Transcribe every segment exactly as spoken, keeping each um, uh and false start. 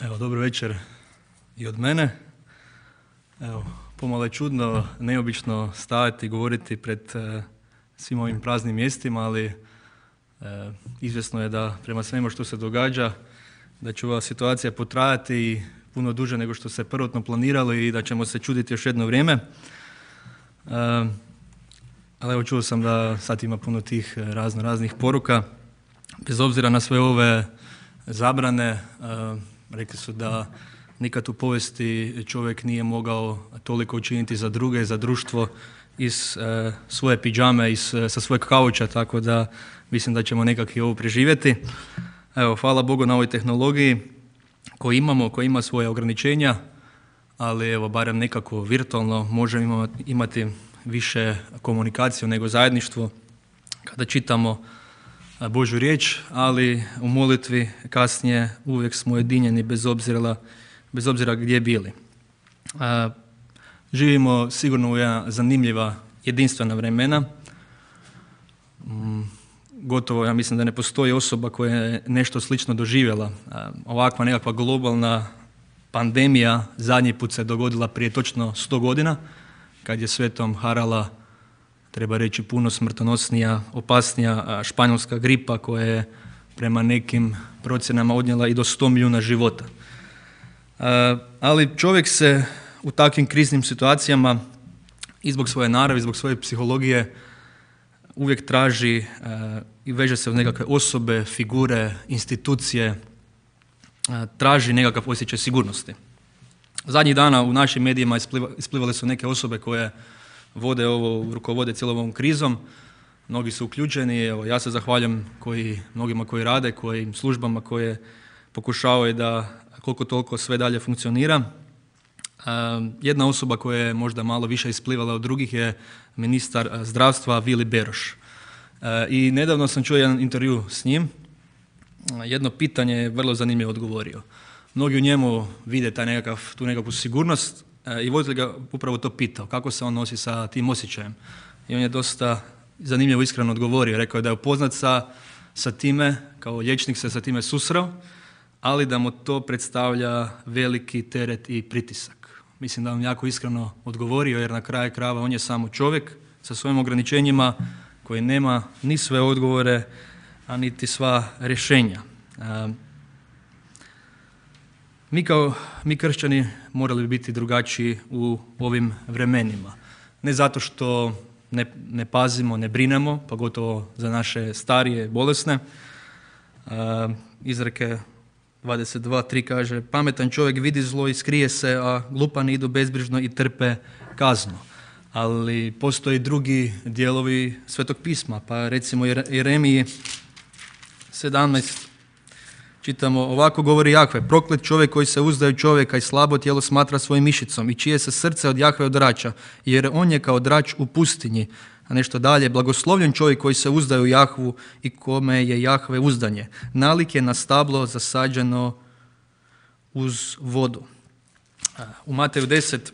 Evo, dobro večer i od mene. Evo, pomalo je čudno, neobično stajati i govoriti pred e, svim ovim praznim mjestima, ali e, izvjesno je da prema svemu što se događa, da će ova situacija potrajati i puno duže nego što se prvotno planiralo i da ćemo se čuditi još jedno vrijeme. E, ali evo, čuo sam da sad ima puno tih razno raznih poruka. Bez obzira na sve ove zabrane, e, rekli su da nikad u povijesti čovjek nije mogao toliko učiniti za druge, za društvo iz e, svoje pidžame, iz, sa svojeg kauča, tako da mislim da ćemo nekako i ovo preživjeti. Evo, hvala Bogu na ovoj tehnologiji koju imamo, koja ima svoje ograničenja, ali evo, barem nekako virtualno možemo imati više komunikaciju nego zajedništvo kada čitamo Božju riječ, ali u molitvi kasnije uvijek smo ujedinjeni bez obzira, bez obzira gdje bili. A, živimo sigurno u jedna zanimljiva, jedinstvena vremena. Mm, gotovo, ja mislim da ne postoji osoba koja je nešto slično doživjela. A, ovakva nekakva globalna pandemija zadnji put se dogodila prije točno sto godina, kad je svetom harala, treba reći, puno smrtonosnija, opasnija španjolska gripa koja je prema nekim procjenama odnijela i do sto milijuna života. Ali čovjek se u takvim kriznim situacijama i zbog svoje naravi, zbog svoje psihologije uvijek traži i veže se u nekakve osobe, figure, institucije, traži nekakav osjećaj sigurnosti. Zadnjih dana u našim medijima isplivale su neke osobe koje vode ovo, rukovode cijelom ovom krizom. Mnogi su uključeni, evo, ja se zahvaljujem koji, mnogima koji rade, kojim službama koje pokušavaju da koliko toliko sve dalje funkcionira. Uh, jedna osoba koja je možda malo više isplivala od drugih je ministar zdravstva Vili Beroš. Uh, I nedavno sam čuo jedan intervju s njim. Uh, jedno pitanje je vrlo zanimljivo odgovorio. Mnogi u njemu vide taj nekakav, tu nekakvu sigurnost, i voditelj ga upravo to pitao, kako se on nosi sa tim osjećajem. I on je dosta zanimljivo iskreno odgovorio. Rekao je da je upoznat sa, sa time, kao liječnik se sa time susreo, ali da mu to predstavlja veliki teret i pritisak. Mislim da vam jako iskreno odgovorio, jer na kraju krajeva on je samo čovjek sa svojim ograničenjima koji nema ni sve odgovore, a niti sva rješenja. Mi kao mi kršćani morali bi biti drugačiji u ovim vremenima. Ne zato što ne, ne pazimo, ne brinemo, pogotovo za naše starije, bolesne. Uh, izreke dvadeset dva tri kaže: pametan čovjek vidi zlo i skrije se, a glupani idu bezbrižno i trpe kaznu. Ali postoji drugi dijelovi Svetog pisma, pa recimo Jeremiji sedamnaest čitamo: ovako govori Jahve, proklet čovjek koji se uzdaje u čovjeka i slabo tijelo smatra svojim mišicom i čije se srce od Jahve odrača, jer on je kao drač u pustinji. A nešto dalje: blagoslovljen čovjek koji se uzdaje u Jahvu i kome je Jahve uzdanje. Nalik je na stablo zasađeno uz vodu. U Mateju deset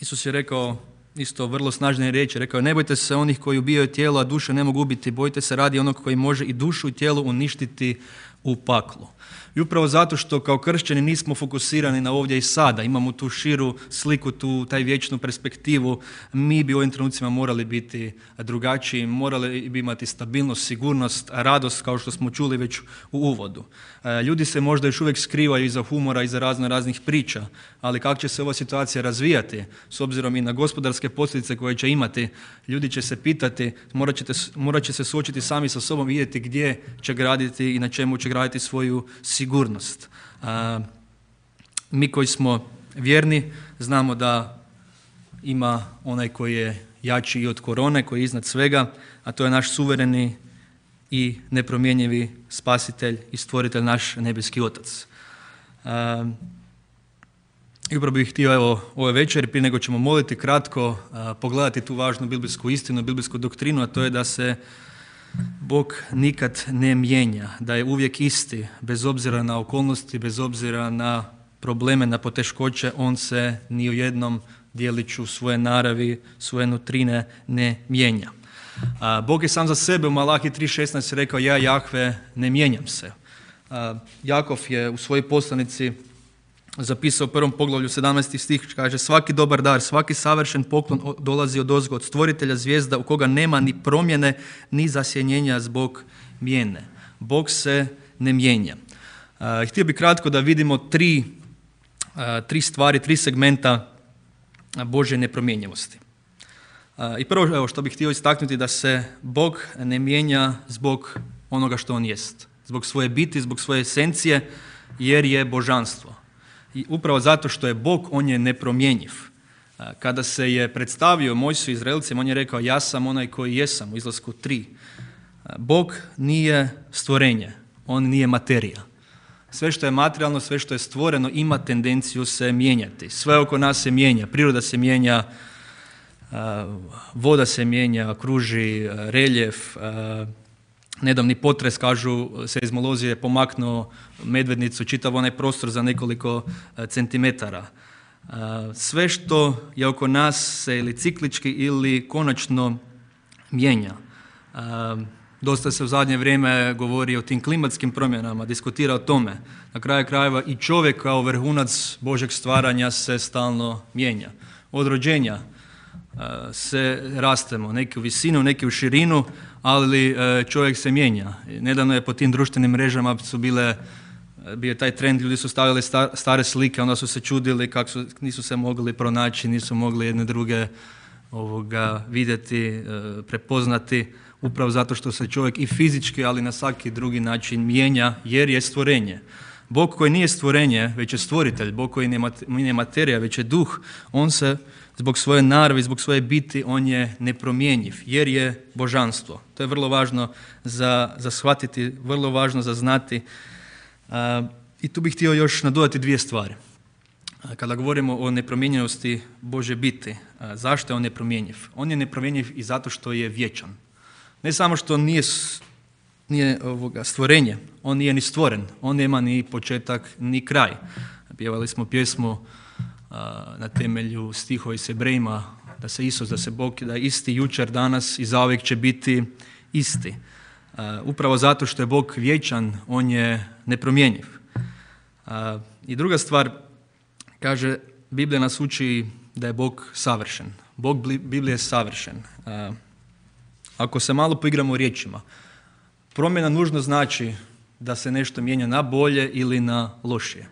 Isus je rekao isto vrlo snažne riječi. Rekao je: ne bojte se onih koji ubijaju tijelo, a duše ne mogu ubiti. Bojte se radi onog koji može i dušu i tijelo uništiti u paklu. I upravo zato što kao kršćani nismo fokusirani na ovdje i sada, imamo tu širu sliku, tu taj vječnu perspektivu, mi bi u ovim trenucima morali biti drugačiji, morali bi imati stabilnost, sigurnost, radost, kao što smo čuli već u uvodu. Ljudi se možda još uvijek skrivaju iza humora, iza razno raznih priča, ali kako će se ova situacija razvijati, s obzirom i na gospodarske posljedice koje će imati, ljudi će se pitati, morat, ćete, morat će se suočiti sami sa sobom, vidjeti gdje će graditi i na čemu će graditi svoju sigurnost. A, mi koji smo vjerni znamo da ima onaj koji je jači i od korone, koji je iznad svega, a to je naš suvereni i nepromjenjivi spasitelj i stvoritelj, naš nebeski Otac. A, I upravo bih htio evo ove večeri, prije nego ćemo moliti, kratko a, pogledati tu važnu biblijsku istinu, biblijsku doktrinu, a to je da se Bog nikad ne mijenja, da je uvijek isti, bez obzira na okolnosti, bez obzira na probleme, na poteškoće, on se ni u jednom dijeliću svoje naravi, svoje nutrine ne mijenja. A, Bog je sam za sebe u Malahi tri šesnaest rekao: ja, Jahve, ne mijenjam se. A, Jakov je u svojoj poslanici zapisao u prvom poglavlju sedamnaesti stih, kaže: svaki dobar dar, svaki savršen poklon dolazi od ozgo, od stvoritelja zvijezda, u koga nema ni promjene ni zasjenjenja zbog mijene. Bog se ne mijenja. Uh, htio bih kratko da vidimo tri, uh, tri stvari, tri segmenta Božje nepromjenjivosti. Uh, I prvo, evo, što bih htio istaknuti, da se Bog ne mijenja zbog onoga što on jest, zbog svoje biti, zbog svoje esencije, jer je božanstvo. I upravo zato što je Bog, on je nepromjenjiv. Uh, kada se je predstavio Mojsiju Izraelcima, on je rekao: ja sam onaj koji jesam, u Izlasku tri. Uh, Bog nije stvorenje, on nije materija. Sve što je materijalno, sve što je stvoreno ima tendenciju se mijenjati. Sve oko nas se mijenja, priroda se mijenja, voda se mijenja, kruži, reljef. Nedavni potres, kažu, seizmolozi je pomaknuo Medvednicu, čitav onaj prostor za nekoliko centimetara. Sve što je oko nas se ili ciklički ili konačno mijenja. Dosta se u zadnje vrijeme govori o tim klimatskim promjenama, diskutira o tome. Na kraju krajeva i čovjek kao vrhunac Božeg stvaranja se stalno mijenja. Od rođenja uh, se rastemo, neki u visinu, neki u širinu, ali uh, čovjek se mijenja. Nedavno je po tim društvenim mrežama su bile, bio taj trend, ljudi su stavili sta, stare slike, onda su se čudili kako su, nisu se mogli pronaći, nisu mogli jedne druge ovoga, vidjeti, uh, prepoznati. Upravo zato što se čovjek i fizički, ali na svaki drugi način mijenja, jer je stvorenje. Bog koji nije stvorenje, već je stvoritelj, Bog koji nije materija, već je duh, on se zbog svoje naravi, zbog svoje biti, on je nepromjenjiv, jer je božanstvo. To je vrlo važno za, za shvatiti, vrlo važno za znati. A, I tu bih htio još nadodati dvije stvari. A, kada govorimo o nepromjenjivosti Božje biti, a, zašto je on nepromjenjiv? On je nepromjenjiv i zato što je vječan. Ne samo što nije, nije ovoga stvorenje, on nije ni stvoren, on nema ni početak ni kraj. Pjevali smo pjesmu a, na temelju stihova iz Hebrejima, da se Isus, da se Bog, da je isti jučer, danas i zauvijek će biti isti. A, upravo zato što je Bog vječan, on je nepromjenjiv. A, I druga stvar, kaže, Biblija nas uči da je Bog savršen. Bog Biblije je savršen. A, Ako se malo poigramo riječima, promjena nužno znači da se nešto mijenja na bolje ili na lošije.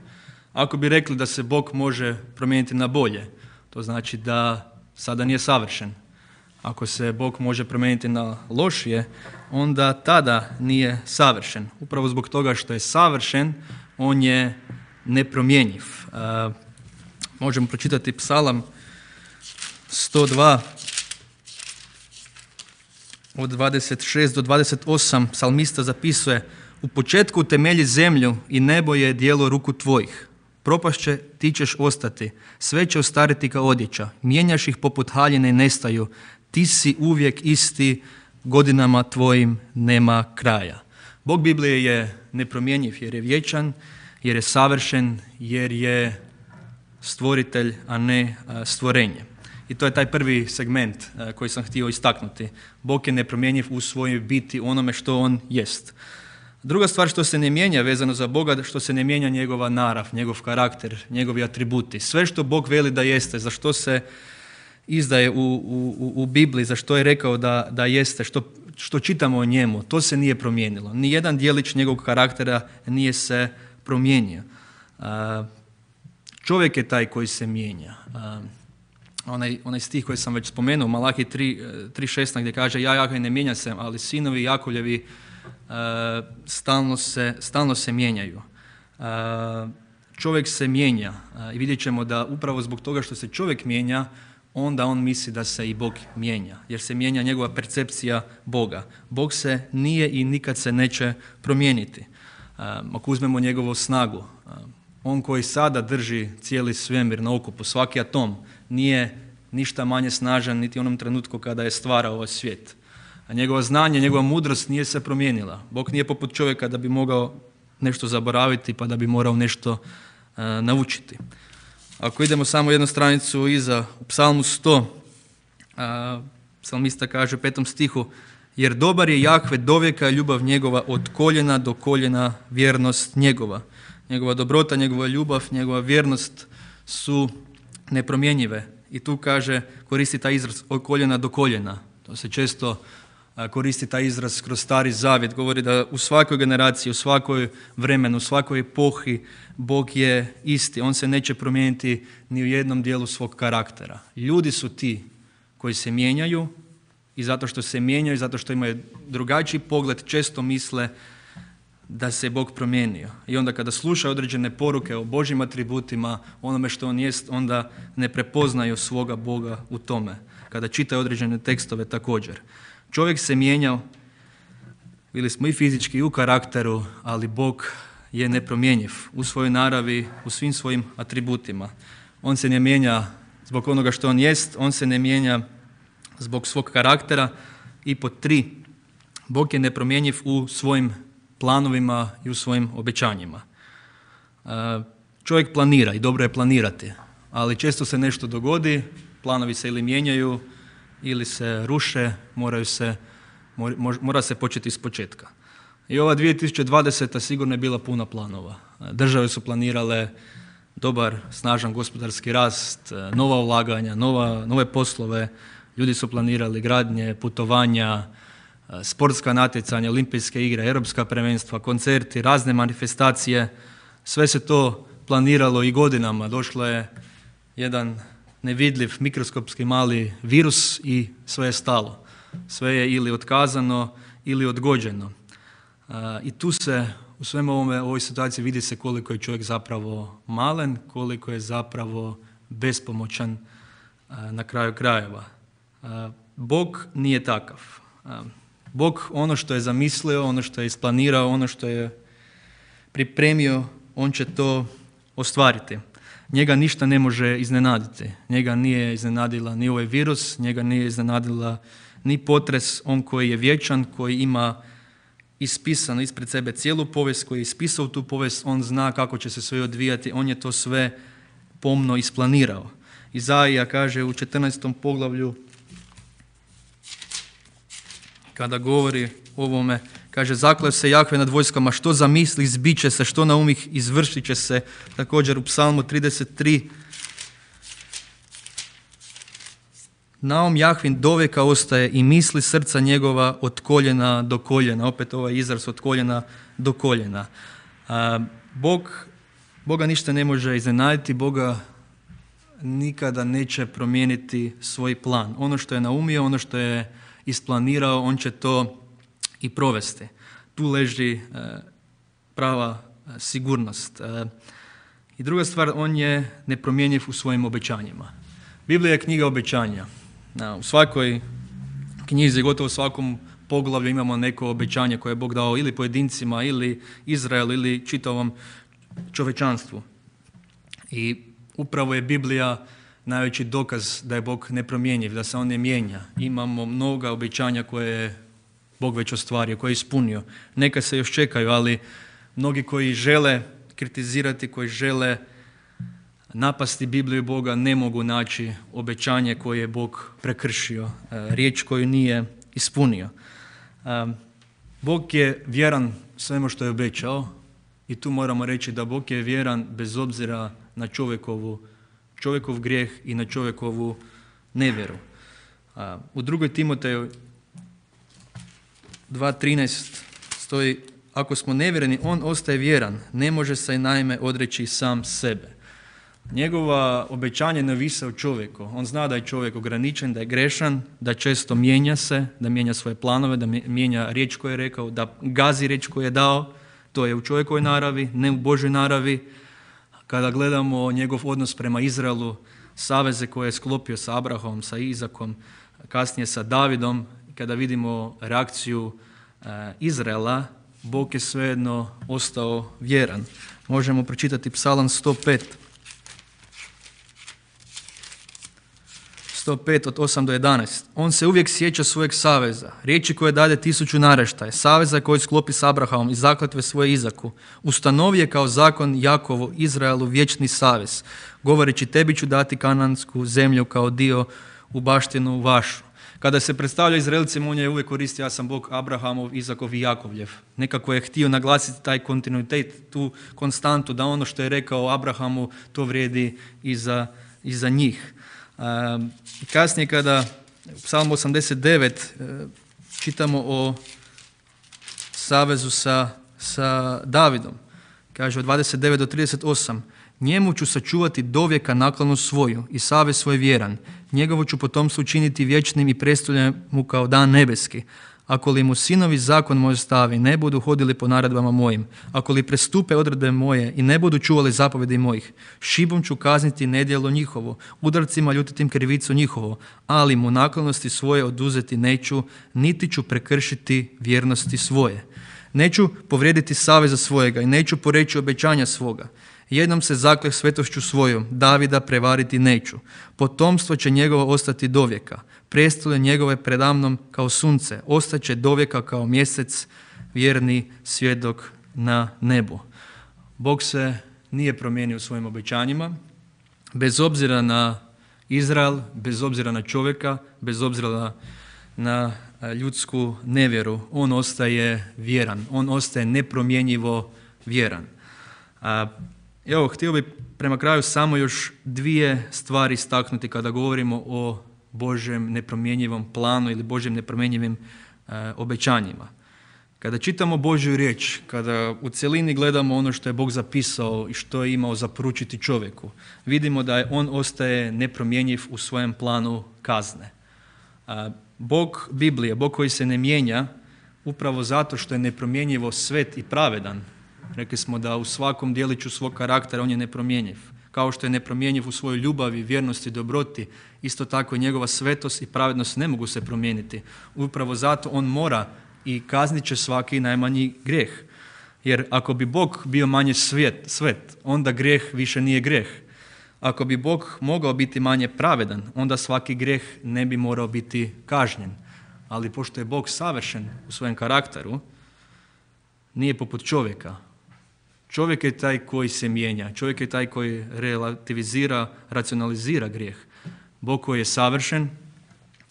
Ako bi rekli da se Bog može promijeniti na bolje, to znači da sada nije savršen. Ako se Bog može promijeniti na lošije, onda tada nije savršen. Upravo zbog toga što je savršen, on je nepromjenjiv. Uh, možemo pročitati Psalam sto dva, od dvadeset šest do dvadeset osam, psalmista zapisuje: u početku utemelji zemlju i nebo je djelo ruku tvojih. Propašće, ti ćeš ostati, sve će ostariti kao odjeća, mijenjaš ih poput haljine i nestaju, ti si uvijek isti, godinama tvojim nema kraja. Bog Biblije je nepromjenjiv jer je vječan, jer je savršen, jer je stvoritelj, a ne stvorenje. I to je taj prvi segment uh, koji sam htio istaknuti. Bog je nepromjenjiv u svojoj biti, onome što on jest. Druga stvar što se ne mijenja vezano za Boga, što se ne mijenja njegova narav, njegov karakter, njegovi atributi. Sve što Bog veli da jeste, za što se izdaje u, u, u Bibliji, za što je rekao da, da jeste, što, što čitamo o njemu, to se nije promijenilo. Nijedan dijelić njegovog karaktera nije se promijenio. Uh, čovjek je taj koji se mijenja. Uh, Onaj, onaj stih koji sam već spomenuo, Malaki tri šesnaest, gdje kaže: ja Jahve ne mijenjam se, ali sinovi Jakovljevi uh, stalno, se, stalno se mijenjaju. Uh, čovjek se mijenja uh, i vidjet ćemo da upravo zbog toga što se čovjek mijenja, onda on misli da se i Bog mijenja, jer se mijenja njegova percepcija Boga. Bog se nije i nikad se neće promijeniti. Uh, ako uzmemo njegovu snagu, uh, on koji sada drži cijeli svemir na okupu, svaki atom, nije ništa manje snažan niti u onom trenutku kada je stvarao ovaj svijet. A njegova znanje, njegova mudrost nije se promijenila. Bog nije poput čovjeka da bi mogao nešto zaboraviti pa da bi morao nešto uh, naučiti. Ako idemo samo jednu stranicu iza, u Psalmu sto, uh, psalmista kaže u petom stihu: jer dobar je Jahve dovijeka, ljubav njegova od koljena do koljena, vjernost njegova. Njegova dobrota, njegova ljubav, njegova vjernost su nepromjenjive. I tu kaže, koristi taj izraz od koljena do koljena. To se često koristi taj izraz kroz Stari Zavjet. Govori da u svakoj generaciji, u svakoj vremenu, u svakoj epohi Bog je isti. On se neće promijeniti ni u jednom dijelu svog karaktera. Ljudi su ti koji se mijenjaju i zato što se mijenjaju, zato što imaju drugačiji pogled, često misle da se Bog promijenio. I onda kada slušaju određene poruke o Božjim atributima, onome što on jest, onda ne prepoznaju svoga Boga u tome. Kada čitaju određene tekstove također. Čovjek se mijenjao, bili smo i fizički i u karakteru, ali Bog je nepromjenjiv u svojoj naravi, u svim svojim atributima. On se ne mijenja zbog onoga što on jest, on se ne mijenja zbog svog karaktera. I pod tri, Bog je nepromjenjiv u svojim planovima i u svojim obećanjima. Čovjek planira i dobro je planirati, ali često se nešto dogodi, planovi se ili mijenjaju ili se ruše, moraju se, mora se početi iz početka. I ova dvije tisuće dvadeseta sigurno je bila puna planova. Države su planirale dobar, snažan gospodarski rast, nova ulaganja, nova, nove poslove, ljudi su planirali gradnje, putovanja, sportska natjecanja, olimpijske igre, europska prvenstva, koncerti, razne manifestacije. Sve se to planiralo i godinama. Došlo je jedan nevidljiv mikroskopski mali virus i sve je stalo. Sve je ili otkazano ili odgođeno. I tu se u svemu ovome, ovoj situaciji vidi se koliko je čovjek zapravo malen, koliko je zapravo bespomoćan na kraju krajeva. Bog nije takav. Bog ono što je zamislio, ono što je isplanirao, ono što je pripremio, on će to ostvariti. Njega ništa ne može iznenaditi. Njega nije iznenadila ni ovaj virus, njega nije iznenadila ni potres. On koji je vječan, koji ima ispisano ispred sebe cijelu povijest, koji je ispisao tu povijest, on zna kako će se sve odvijati, on je to sve pomno isplanirao. Izaija kaže u četrnaestom poglavlju, kada govori o ovome, kaže, zakleo se Jahve nad vojskama, što zamisli zbit će se, što naumih izvršit će se. Također u Psalmu trideset tri, naum Jahvin dovijeka ostaje i misli srca njegova od koljena do koljena. Opet ovaj izraz od koljena do koljena. A, Bog, Boga ništa ne može iznenaditi, Boga nikada neće promijeniti svoj plan. Ono što je naumio, ono što je isplanirao, on će to i provesti. Tu leži e, prava e, sigurnost. E, I druga stvar, on je nepromjenjiv u svojim obećanjima. Biblija je knjiga obećanja. Na, u svakoj knjizi, gotovo u svakom poglavlju imamo neko obećanje koje je Bog dao ili pojedincima, ili Izraelu, ili čitavom čovječanstvu. I upravo je Biblija najveći dokaz da je Bog nepromjenjiv, da se on ne mijenja. Imamo mnoga obećanja koje je Bog već ostvario, koje je ispunio. Neka se još čekaju, ali mnogi koji žele kritizirati, koji žele napasti Bibliju Boga, ne mogu naći obećanje koje je Bog prekršio, riječ koju nije ispunio. Bog je vjeran svemu što je obećao i tu moramo reći da Bog je vjeran bez obzira na čovjekovu čovjekov grijeh i na čovjekovu nevjeru. U drugoj Timoteju dva trinaest stoji, ako smo nevjereni, on ostaje vjeran, ne može se naime odreći sam sebe. Njegova obećanje ne ovise o čovjeku. On zna da je čovjek ograničen, da je grešan, da često mijenja se, da mijenja svoje planove, da mijenja riječ koju je rekao, da gazi riječ koju je dao. To je u čovjekovoj naravi, ne u Božoj naravi. Kada gledamo njegov odnos prema Izraelu, saveze koje je sklopio sa Abrahamom, sa Izakom, kasnije sa Davidom, kada vidimo reakciju e, Izraela, Bog je svejedno ostao vjeran. Možemo pročitati Psalam sto pet. sto pet od osam do jedanaest. On se uvijek sjeća svojeg saveza, riječi koje dade tisuću naraštaje, saveza koji sklopi s Abrahamom i zakletve svoje Izaku. Ustanovi je kao zakon Jakovu, Izraelu, vječni savez, govoreći tebi ću dati kanansku zemlju kao dio u baštinu vašu. Kada se predstavlja Izraelcima, on je uvijek koristio ja sam Bog Abrahamov, Izakov i Jakovljev. Nekako je htio naglasiti taj kontinuitet, tu konstantu, da ono što je rekao Abrahamu, to vrijedi i za, i za njih. Um, kasnije kada u Psalmu osamdeset devet uh, čitamo o savezu sa, sa Davidom. Kaže od dvadeset devet do trideset osam. Njemu ću sačuvati dovijeka naklonost svoju i savez svoj vjeran. Njegovo ću potomstvo učiniti vječnim i predstavljam mu kao dan nebeski. Ako li mu sinovi zakon moj stavi, ne budu hodili po naredbama mojim. Ako li prestupe odredbe moje i ne budu čuvali zapovjedi mojih, šibom ću kazniti nedjelo njihovo, udarcima ljutitim krivicu njihovo, ali mu naklonosti svoje oduzeti neću, niti ću prekršiti vjernosti svoje. Neću povrijediti saveza svojega i neću poreći obećanja svoga. Jednom se zakleh svetošću svojom, Davida prevariti neću. Potomstvo će njegovo ostati dovijeka. Prijestolje njegove predamnom kao sunce. Ostaće dovijeka kao mjesec, vjerni svjedok na nebu. Bog se nije promijenio u svojim obećanjima. Bez obzira na Izrael, bez obzira na čovjeka, bez obzira na ljudsku nevjeru, on ostaje vjeran. On ostaje nepromjenjivo vjeran. A, Evo, htio bih prema kraju samo još dvije stvari istaknuti kada govorimo o Božjem nepromjenjivom planu ili Božjem nepromjenjivim e, obećanjima. Kada čitamo Božju riječ, kada u cjelini gledamo ono što je Bog zapisao i što je imao zaporučiti čovjeku, vidimo da je on ostaje nepromjenjiv u svojem planu kazne. E, Bog Biblije, Bog koji se ne mijenja, upravo zato što je nepromjenjivo svet i pravedan. Rekli smo da u svakom dijeliću svog karaktera on je nepromjenjiv. Kao što je nepromjenjiv u svojoj ljubavi, vjernosti, dobroti, isto tako i njegova svetost i pravednost ne mogu se promijeniti. Upravo zato on mora i kaznit će svaki najmanji grijeh. Jer ako bi Bog bio manje svet, svet, onda grijeh više nije grijeh. Ako bi Bog mogao biti manje pravedan, onda svaki grijeh ne bi morao biti kažnjen. Ali pošto je Bog savršen u svojem karakteru, nije poput čovjeka. Čovjek je taj koji se mijenja. Čovjek je taj koji relativizira, racionalizira grijeh. Bog koji je savršen,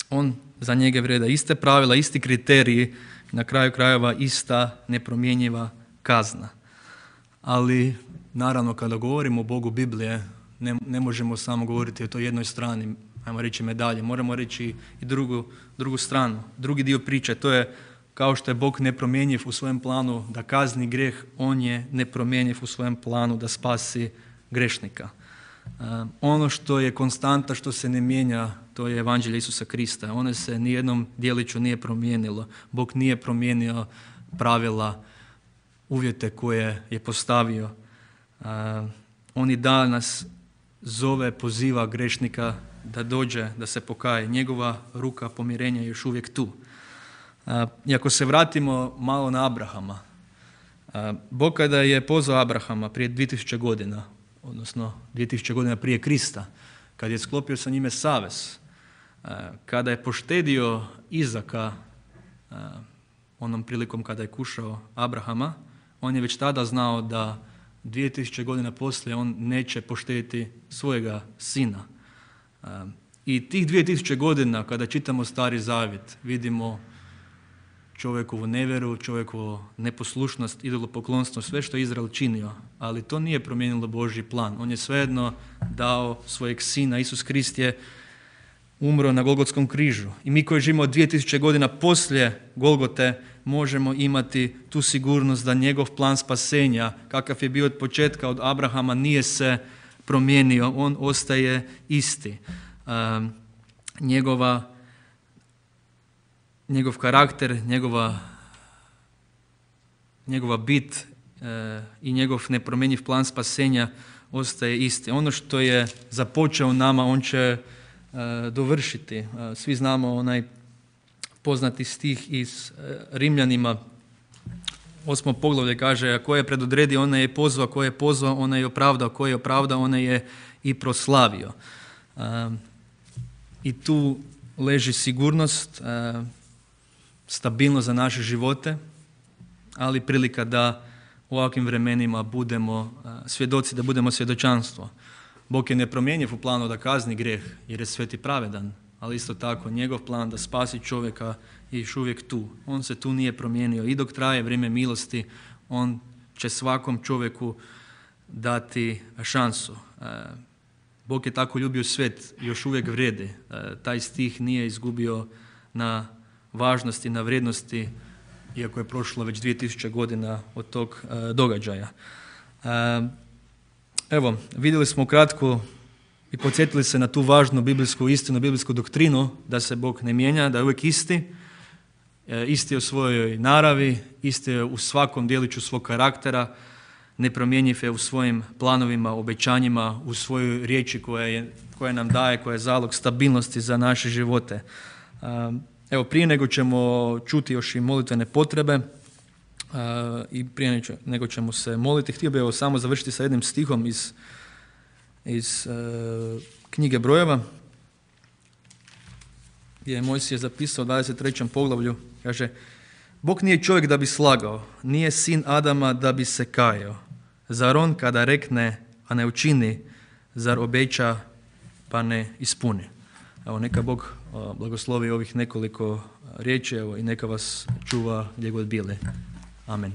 on za njega vrijede iste pravila, isti kriteriji, na kraju krajeva ista nepromjenjiva kazna. Ali naravno kada govorimo o Bogu Biblije, ne, ne možemo samo govoriti o toj jednoj strani, ajmo reći medalje, moramo reći i drugu, drugu stranu. Drugi dio priče, to je kao što je Bog nepromjenjiv u svojem planu da kazni grijeh, on je nepromjenjiv u svojem planu da spasi grešnika. Uh, ono što je konstanta, što se ne mijenja, to je evanđelje Isusa Krista. Ono se nijednom dijeliću nije promijenilo. Bog nije promijenio pravila, uvjete koje je postavio. Uh, on i danas zove, poziva grešnika da dođe, da se pokaje. Njegova ruka pomirenja je još uvijek tu. I ako se vratimo malo na Abrahama, Bog kada je pozvao Abrahama prije dvije tisuće godina, odnosno dvije tisuće godina prije Krista, kad je sklopio sa njime savez, kada je poštedio Izaka onom prilikom kada je kušao Abrahama, on je već tada znao da dvije tisuće godina poslije on neće poštediti svojega sina. I tih dvije tisuće godina kada čitamo Stari Zavjet, vidimo čovjekovu nevjeru, čovjekovu neposlušnost, idolopoklonstvo, sve što je Izrael činio, ali to nije promijenilo Božji plan. On je svejedno dao svojeg sina, Isus Krist je umro na Golgotskom križu. I mi koji živimo dvije tisuće godina poslije Golgote možemo imati tu sigurnost da njegov plan spasenja, kakav je bio od početka od Abrahama, nije se promijenio, on ostaje isti. Um, njegova Njegov karakter, njegova, njegova bit e, i njegov nepromjenjiv plan spasenja ostaje isti. Ono što je započeo nama, on će e, dovršiti. E, svi znamo onaj poznati stih iz e, Rimljanima, osmo poglavlje kaže, a ko je predodredio, onaj je pozvao, ko je pozvao, onaj je opravdao, ko je opravdao, onaj je i proslavio. E, I tu leži sigurnost, e, stabilnost za naše živote, ali prilika da u ovakvim vremenima budemo svjedoci, da budemo svjedočanstvo. Bog je nepromjenjiv u planu da kazni grijeh jer je svet i pravedan, ali isto tako njegov plan da spasi čovjeka je još uvijek tu. On se tu nije promijenio i dok traje vrijeme milosti, on će svakom čovjeku dati šansu. Bog je tako ljubio svijet, još uvijek vrijedi. Taj stih nije izgubio na važnosti, na vrijednosti, iako je prošlo već dvije tisuće godina od tog događaja. Evo, vidjeli smo kratko i podsjetili se na tu važnu biblijsku istinu, biblijsku doktrinu da se Bog ne mijenja, da je uvijek isti. Isti je u svojoj naravi, isti je u svakom djeliću svog karaktera, nepromjenjiv je u svojim planovima, obećanjima, u svojoj riječi koja, je, koja nam daje, koja je zalog stabilnosti za naše živote. Evo, prije nego ćemo čuti još i molitvene potrebe i prije nego ćemo se moliti, htio bih evo samo završiti sa jednim stihom iz, iz knjige Brojeva, gdje je Mojsije zapisao u dvadeset trećem poglavlju, kaže: Bog nije čovjek da bi slagao, nije sin Adama da bi se kajao. Zar on kada rekne, a ne učini, zar obeća, pa ne ispuni? Evo, neka Bog blagoslovi ovih nekoliko riječi, evo, i neka vas čuva gdje god bili. Amen.